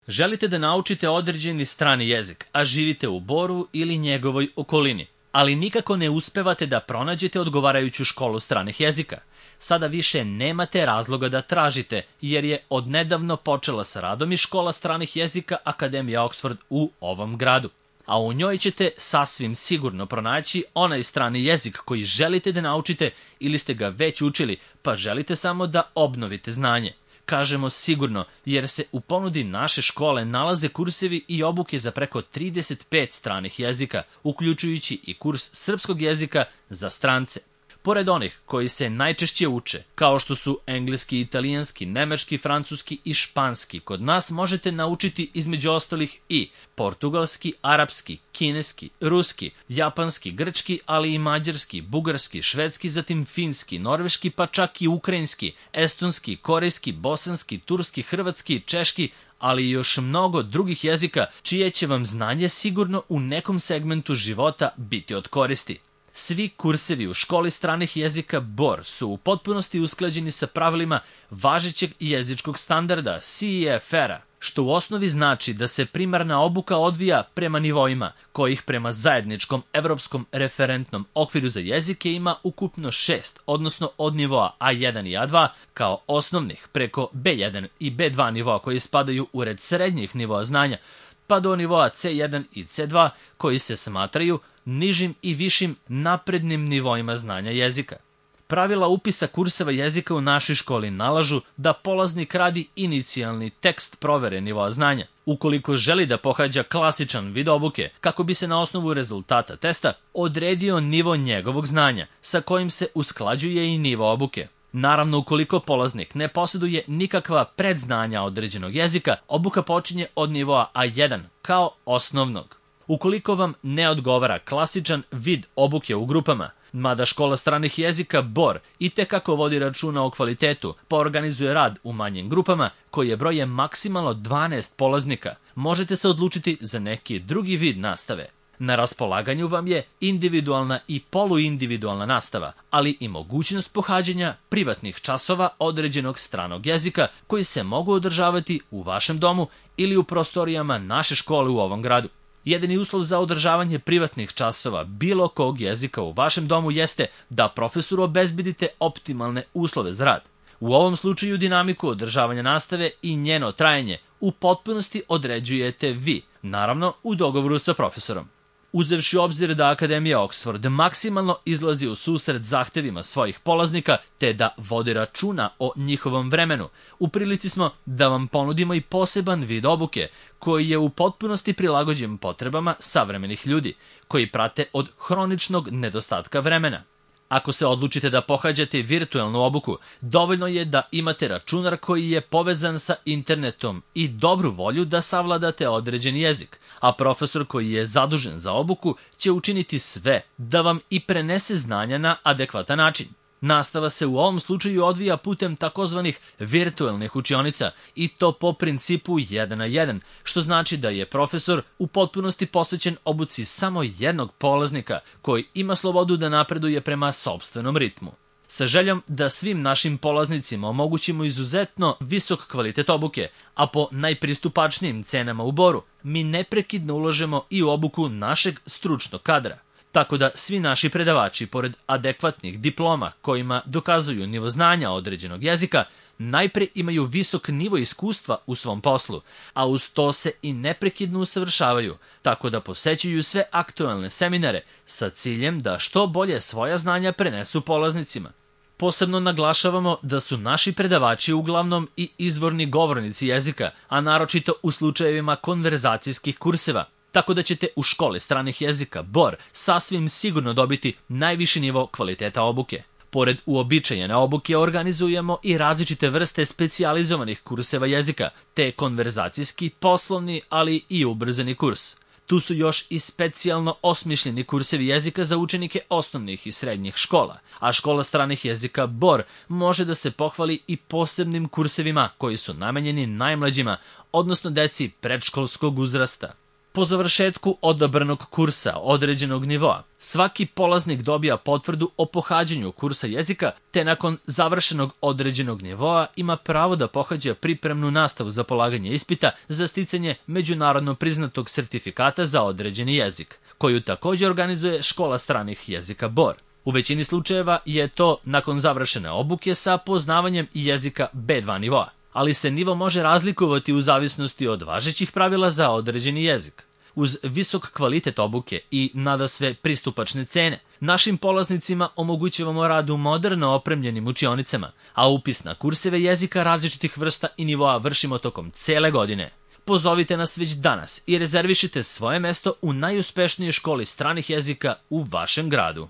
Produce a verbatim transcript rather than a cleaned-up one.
Želite da naučite određeni strani jezik, a živite u Boru ili njegovoj okolini, ali nikako ne uspevate da pronađete odgovarajuću školu stranih jezika. Sada više nemate razloga da tražite, jer je odnedavno počela sa radom i škola stranih jezika Akademija Oxford u ovom gradu. A u njoj ćete sasvim sigurno pronaći onaj strani jezik koji želite da naučite ili ste ga već učili, pa želite samo da obnovite znanje. Kažemo sigurno, jer se u ponudi naše škole nalaze kursevi i obuke za preko trideset pet stranih jezika, uključujući i kurs srpskog jezika za strance. Pored onih koji se najčešće uče, kao što su engleski, italijanski, nemački, francuski i španski, kod nas možete naučiti između ostalih i portugalski, arapski, kineski, ruski, japanski, grčki, ali i mađarski, bugarski, švedski, zatim finski, norveški, pa čak i ukrajinski, estonski, korejski, bosanski, turski, hrvatski, češki, ali i još mnogo drugih jezika, čije će vam znanje sigurno u nekom segmentu života biti od koristi. Svi kursevi u školi stranih jezika B O R su u potpunosti usklađeni sa pravilima važećeg jezičkog standarda C E F R-a, što u osnovi znači da se primarna obuka odvija prema nivoima, kojih prema zajedničkom evropskom referentnom okviru za jezike ima ukupno šest, odnosno od nivoa A jedan i A dva kao osnovnih preko B jedan i B dva nivoa koji spadaju u red srednjih nivoa znanja, pa do nivoa C jedan i C dva koji se smatraju nižim i višim naprednim nivoima znanja jezika. Pravila upisa kurseva jezika u našoj školi nalažu da polaznik radi inicijalni tekst provere nivoa znanja. Ukoliko želi da pohađa klasičan vid obuke, kako bi se na osnovu rezultata testa odredio nivo njegovog znanja, sa kojim se usklađuje i nivo obuke. Naravno, ukoliko polaznik ne posjeduje nikakva predznanja određenog jezika, obuka počinje od nivoa A jedan kao osnovnog. Ukoliko vam ne odgovara klasičan vid obuke u grupama, mada škola stranih jezika B O R i tekako vodi računa o kvalitetu, pa organizuje rad u manjim grupama, koje broje maksimalno dvanaest polaznika, možete se odlučiti za neki drugi vid nastave. Na raspolaganju vam je individualna i poluindividualna nastava, ali i mogućnost pohađanja privatnih časova određenog stranog jezika koji se mogu održavati u vašem domu ili u prostorijama naše škole u ovom gradu. Jedini uslov za održavanje privatnih časova bilo kog jezika u vašem domu jeste da profesoru obezbedite optimalne uslove za rad. U ovom slučaju dinamiku održavanja nastave i njeno trajanje u potpunosti određujete vi, naravno u dogovoru sa profesorom. Uzevši u obzir da Akademija Oxford maksimalno izlazi u susret zahtevima svojih polaznika te da vodi računa o njihovom vremenu, u prilici smo da vam ponudimo i poseban vid obuke koji je u potpunosti prilagođen potrebama savremenih ljudi koji prate od hroničnog nedostatka vremena. Ako se odlučite da pohađate virtualnu obuku, dovoljno je da imate računar koji je povezan sa internetom i dobru volju da savladate određen jezik, a profesor koji je zadužen za obuku će učiniti sve da vam i prenese znanja na adekvatan način. Nastava se u ovom slučaju odvija putem takozvanih virtualnih učionica i to po principu jedan na jedan, što znači da je profesor u potpunosti posvećen obuci samo jednog polaznika koji ima slobodu da napreduje prema sopstvenom ritmu. Sa željom da svim našim polaznicima omogućimo izuzetno visok kvalitet obuke, a po najpristupačnijim cenama u Boru, mi neprekidno ulažemo i u obuku našeg stručnog kadra. Tako da svi naši predavači, pored adekvatnih diploma kojima dokazuju nivo znanja određenog jezika, najpre imaju visok nivo iskustva u svom poslu, a uz to se i neprekidno usavršavaju, tako da posećuju sve aktualne seminare sa ciljem da što bolje svoja znanja prenesu polaznicima. Posebno naglašavamo da su naši predavači uglavnom i izvorni govornici jezika, a naročito u slučajevima konverzacijskih kurseva, tako da ćete u školi stranih jezika B O R sasvim sigurno dobiti najviši nivo kvaliteta obuke. Pored uobičajene obuke organizujemo i različite vrste specijalizovanih kurseva jezika, te konverzacijski, poslovni, ali i ubrzani kurs. Tu su još i specijalno osmišljeni kursevi jezika za učenike osnovnih i srednjih škola, a škola stranih jezika B O R može da se pohvali i posebnim kursevima koji su namenjeni najmlađima, odnosno deci predškolskog uzrasta. Po završetku odabranog kursa određenog nivoa, svaki polaznik dobija potvrdu o pohađanju kursa jezika, te nakon završenog određenog nivoa ima pravo da pohađa pripremnu nastavu za polaganje ispita za sticanje međunarodno priznatog sertifikata za određeni jezik, koju također organizuje Škola stranih jezika Bor. U većini slučajeva je to nakon završene obuke sa poznavanjem jezika be dva nivoa, ali se nivo može razlikovati u zavisnosti od važećih pravila za određeni jezik. Uz visok kvalitet obuke i nadasve pristupačne cene, našim polaznicima omogućavamo rad u moderno opremljenim učionicama, a upis na kurseve jezika različitih vrsta i nivoa vršimo tokom cele godine. Pozovite nas već danas i rezervišite svoje mesto u najuspešnijoj školi stranih jezika u vašem gradu.